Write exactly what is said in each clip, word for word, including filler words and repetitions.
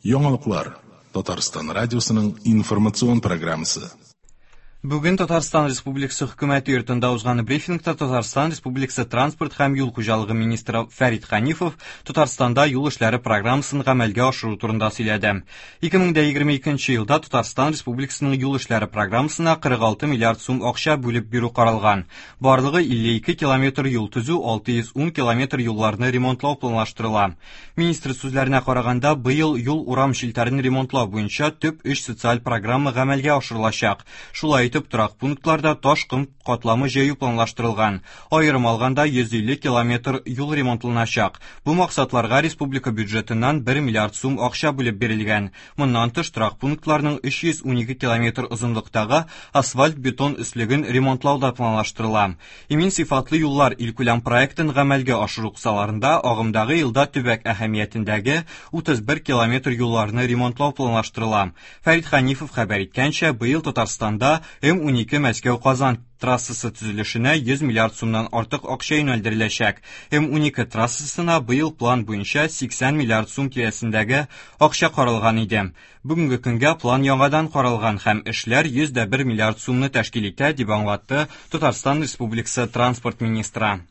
Яңалыклар Татарстан радиосының информацион программасы. Бүген Татарстан Республикасы Хөкүмәте йортында узган брифингта Татарстан Республикасы транспорт һәм юл хуҗалыгы министры Фәрит Ханифов Татарстанда юл эшләре программасын гамәлгә ашыру турында сөйләде. ике мең егерме икенче елда Татарстан Республикасының юл эшләре программасына кырык алты миллиард сум акча бүлеп бирү каралган. Барлыгы илле ике километр юл төзү, алты йөз ун километр юлларны ремонтлау планлаштырыла. Министр сүзләренә караганда, быел юл урам челтәрен ремонтлау буенча төп өч социаль программа гамәлгә ашырылачак. Шулай итеп, торак пунктларда таш ком катламы җәю планлаштырылган. Аерым алганда йөз илле километр юл ремонтланачак. Бу максатларга республика бюджетыннан бер миллиард сум акча бүлеп бирелгән. Моннан тыш торак пунктларның өч йөз унике километр озынлыктагы асфальт-бетон өслеген ремонтлау да планлаштырыла. Имин сыйфатлы юллар илкүләм проектын гамәлгә ашыру кысаларында агымдагы елда төбәк әһәмиятендәге утыз бер километр юлларны ремонтлау планлаштырыла. Фәрит Ханифов хәбәр иткәнчә, быел Татарстанда М унике Мәскәү-Казан трассасы төзелешенә йөз миллиард сумнан артык акча юнәлдереләчәк. М унике трассасына быел план буенча сиксән миллиард сум тирәсендәге акча каралган иде. Бүгенге көнгә план яңадан каралган һәм эшләр йөз дә бер миллиард сумны тәшкил итә, дип аңлатты Татарстан Республикасы транспорт министры.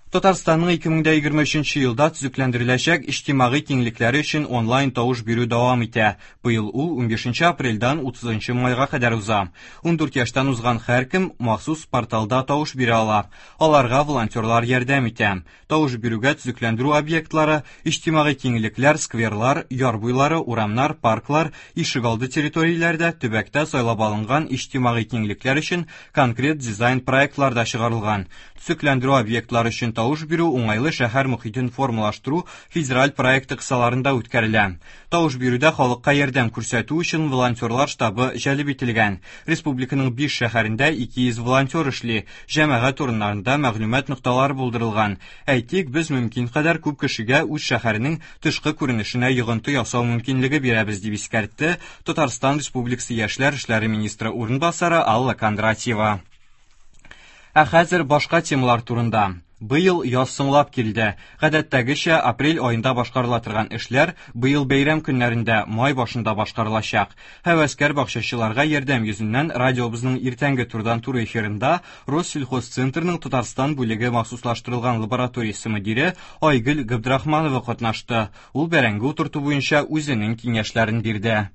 Татарстанның ике мең дә егерме өченче елда төзекләндереләчәк иҗтимагый киңлекләре өчен онлайн тавыш бирү дәвам итә. Быел ул унбишенче апрельдән утызынчы майга кадәр уза. Ундүрт яшьтән узган һәркем махсус порталда тавыш бирә ала. Аларга волонтерлар ярдәм итә. Тавыш бирүгә төзекләндерү объектлары, иҗтимагый киңлекләр, скверлар, яр буйлары, урамнар, парклар, ишегалды территорияләрдә төбәктә сайлап алынган иҗтимагый киңлекләр өчен конкрет дизайн проектлар да чыгарылган. Төзекләндерү объектлары өчен тавыш бирү уңайлы шәһәр мөхитен формалаштыру федераль проекты кысаларында үткәрелә. Тавыш бирүдә халыкка ярдәм күрсәтү өчен волонтерлар штабы җәлеп ителгән. Республиканың биш шәһәрендә ике йөз волонтер эшли. Җәмәгать урыннарында мәгълүмат нокталары булдырылган. Әйтик, без мөмкин кадәр күп кешегә үз шәһәренең тышкы күренешенә йогынты ясау мөмкинлеге бирәбез, дип искәртте Татарстан Республикасы Яшьләр эшләре министры урынбасары Алла Кондратьева. Ә хәзер башка темалар турында. Быел яз соңлап килде. Гадәттәгечә апрель аенда башкарыла торган эшләр быел бәйрәм көннәрендә, май башында башкарылачак. Һәвәскәр бакчачыларга ярдәм йөзеннән радиобызның иртәнге турдан туры эфирында Россельхозцентрның Татарстан бүлеге махсуслаштырылган лабораториясе мөдире Айгөл Габдрахманова катнашты. Ул бәрәңге утырту буенча үзенең киңәшләрен бирде.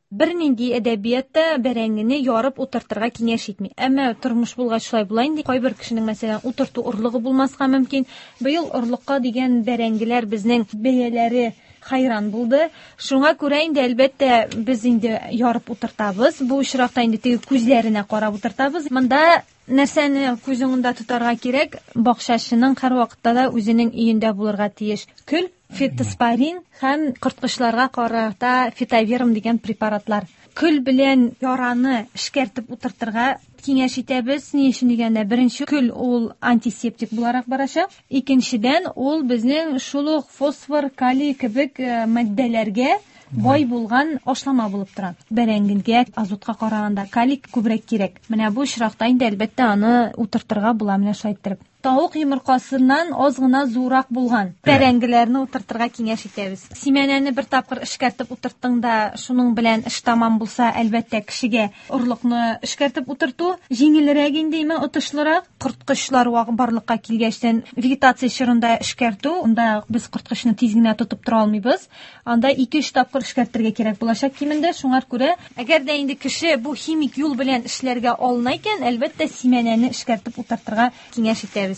Бернинди әдәбиятта бәрәңгене ярып утыртырга киңәш итми. Әмма тормыш булгач шулай була инде. Кайбер кешенең, мәсәлән, утырту орлыгы булмаска мөмкин. Быел орлыкка дигән бәрәңгеләр безнең бәяләре хайран булды. Шуңа күрә инде, әлбәттә, без инде ярып утыртабыз. Бу очракта инде теге күзләренә карап утыртабыз. Монда нәрсәне күз уңында тотарга кирәк? Бакчачының һәр вакытта да үзенең өендә булырга тиеш. Көл, фитоспорин һәм корткычларга карата фитоверм дигән препаратлар. Көл белән яраны эшкәртеп утыртырга киңәш итәбез. Ни өчен дигәндә, беренче көл ул антисептик буларак барачак. Икенчедән, ул безнең шул ук фосфор, калий кебек, э, матдәләргә бай булган ашлама булып тора. Бәрәңгегә азотка караганда калий күбрәк кирәк. Менә бу очракта инде әлбәттә аны утыртырга була, менә шулай иттереп. Тавык йомыркасыннан аз гына зуррак булган бәрәңгеләрне утыртырга киңәш итәбез. Симәнәне бер тапкыр эшкәртеп утырттың да, шуның белән эш тамам булса, әлбәттә кешегә орлыкны эшкәртеп утырту җиңелрәк инде, име отышлырак. Корткычлар вак барлыкка килгәчтән вегетация чорында эшкәртү, анда без корткычны тиз генә тотып тора алмыйбыз. Анда ике-өч тапкыр эшкәртергә кирәк булачак кимендә. Шуңа күрә, әгәр дә инде кеше бу химик юл белән эшләргә алына икән, әлбәттә симәнәне эшкәртеп утыртырга киңәш итәбез.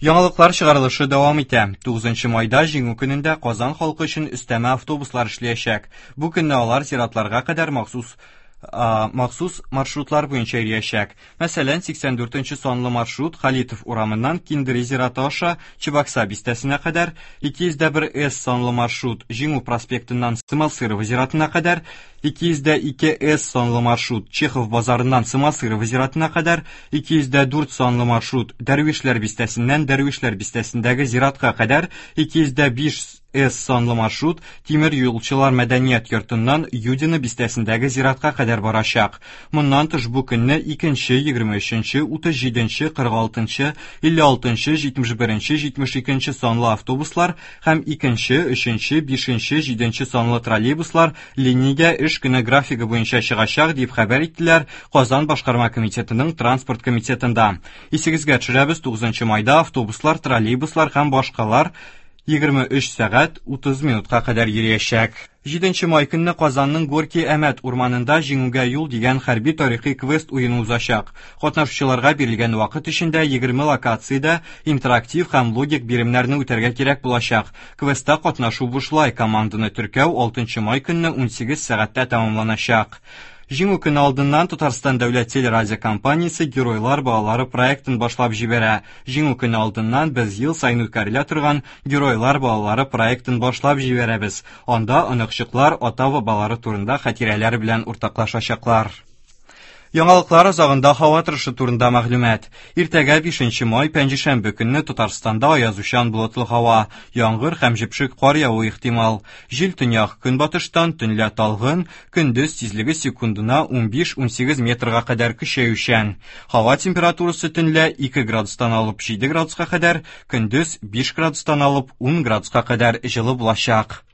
Яңалыклар чыгарылышы дәвам итә. Тугызынчы майда Җиңү көнендә Казан халкы өчен өстәмә автобуслар эшләячәк. Бу көнне алар зиратларга кадәр махсус, а, махсус маршрутлар буенча йөриячәк. Мәсәлән, сиксән дүртенче санлы маршрут Халитов урамыннан Киндери зираты аша Чебокса бистәсенә кадәр, ике йөз дә бер С санлы маршрут Җиңү проспектыннан Сымалсырова зиратына кадәр, ике йөз дә ике С санлы маршрут Чехов базарыннан Сымалсырова зиратына кадәр, ике йөз дә дүрт санлы маршрут Дәрвишләр бистәсеннән Дәрвишләр бистәсендәге зиратка кадәр, ике йөз дә биш С санлы маршрут Тимер юлчылар мәдәният йортыннан Юдино бистәсендәге зиратка кадәр барачак. Моннан тыш бу көнне икенче, егерме өченче, утыз җиденче, кырык алтынчы, илле алтынчы, җитмеш беренче, җитмеш икенче санлы автобуслар һәм икенче, өченче, бишенче, җиденче санлы троллейбуслар линиягә эш көне графигы буенча чыгачак, дип хәбәр иттеләр Казан башкарма комитетының транспорт комитетында. Исегезгә төшерәбез, тугызынчы майда автобуслар, троллейбуслар һәм башкалар егерме өч сәгать утыз минутка кадәр йөриячәк. Җиденче май көнне Казанның Горки Әмәт урманында Җиңүгә юл дигән хәрби тарихи квест уены узачак. Катнашучыларга бирелгән вакыт эчендә егерме локациядә интерактив һәм логик биремнәрне үтәргә кирәк булачак. Квестта катнашу бушлай, команданы теркәү алтынчы май көнне унсигез сәгатьтә тәмамланачак. Җиңү көне алдыннан Татарстан дәүләт телерадиокомпаниясе Геройлар балалары проектын башлап җибәрә. Җиңү көне алдыннан без ел саен үткәрелә торган Геройлар балалары проектын башлап җибәрәбез. Анда оныкчыклар ата-бабалары турында хатирәләр белән уртаклашачаклар. Яңалыклар азагында һава торышы турында мәгълүмат. Иртәгә бишенче май пәнҗешәмбе көнне Татарстанда аязучан болытлы һава, яңгыр һәм җепшек кар явуы ихтимал. Җил төньяк көнбатыштан, төнлә талгын, көндез тизлеге секундына унбиш-унсигез метрга кадәр көчәючән. Һава температурасы төнлә ике градустан алып җиде градуска кадәр, көндез биш градустан алып ун градуска кадәр җылы булачак.